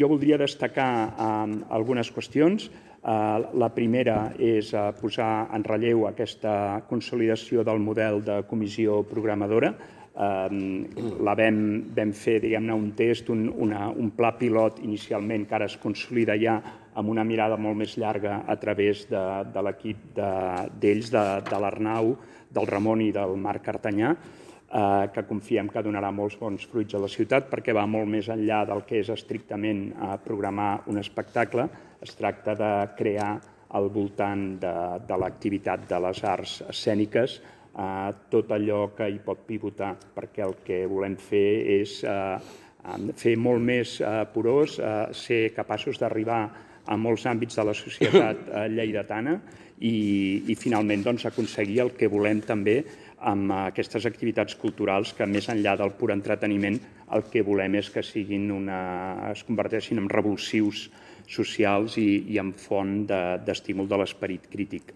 Jo voldria destacar algunes qüestions. La primera és posar en relleu aquesta consolidació del model de comissió programadora. Vam fer, diguem-ne, un test, un pla pilot inicialment, que ara es consolida ja amb una mirada molt més llarga a través de l'equip d'ells, de l'Arnau, del Ramon i del Marc Artanyà, que confiem que donarà molts bons fruits a la ciutat perquè va molt més enllà del que és estrictament programar un espectacle. Es tracta de crear al voltant de l'activitat de les arts escèniques tot allò que hi pot pivotar, perquè el que volem fer és fer molt més porós, ser capaços d'arribar a molts àmbits de la societat lleidatana i finalment aconseguir el que volem també amb aquestes activitats culturals que, més enllà del pur entreteniment, el que volem és que es converteixin en revulsius socials i en font d'estímul de l'esperit crític.